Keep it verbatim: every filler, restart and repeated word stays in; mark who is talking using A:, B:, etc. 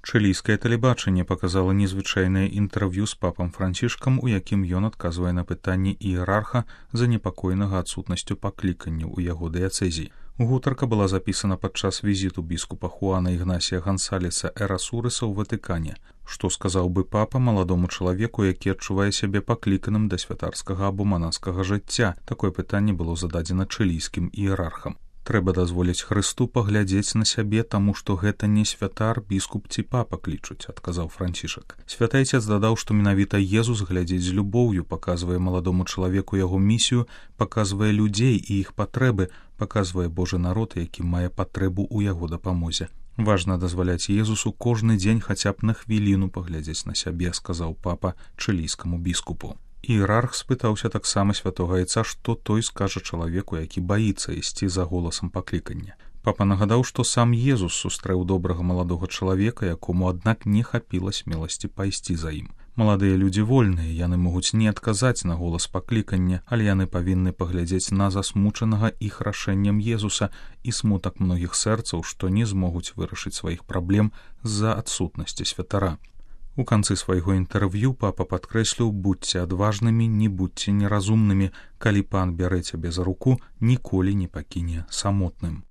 A: Чылійскае тэлебачанне паказала незвычайнае інтэрв'ю з папам Францішкам, у якім ён адказвае на пытанні іерарха занепакоенага адсутнасцю паклікання ў яго дыяцэзіі. Гутарка была запісана падчас візіту біскупа Хуана Ігнасія Гансалеса Эрасурыса ў Ватыкане. Што сказаў бы папа маладому чалавеку, які адчувае сябе пакліканым да святарскага або манаскага жыцця? Такое пытанне было зададзена чылійскім іерархам. Трэба дазволіць Хрысту паглядзець на сябе, таму што гэта не святар, біскуп ці папа клічуць, адказаў Францішак. Святы Айцец дадаў, што менавіта Езус глядзіць з любоўю, паказвае маладому чалавеку яго місію, паказвае людзей і іх патрэбы, паказвае Божы народ, які мае патрэбу ў яго дапамозе. Важна дазваляць Езусу кожны дзень хаця б на хвіліну паглядзець на сябе, сказаў папа чылійскаму біскупу. Іерарх спытаўся таксама святога Айца, што той скажа чалавеку, які баіцца ісці за голасам паклікання. Папа нагадаў, што сам Езус сустрэў добрага маладога чалавека, якому, аднак, не хапіла смеласці пайсці за ім. Маладыя людзі вольныя, яны могуць не адказаць на голас паклікання, але яны павінны паглядзець на засмучанага іх рашэннем Езуса і смутак многіх сэрцаў, што не змогуць вырашыць сваіх праблем з-за адсутнасці святара. У канцы свайго інтэрв'ю папа падкрэсліў: будзьце адважнымі, не будзьце неразумнымі, калі пан бярэ цябе за руку, ніколі не пакіне самотным.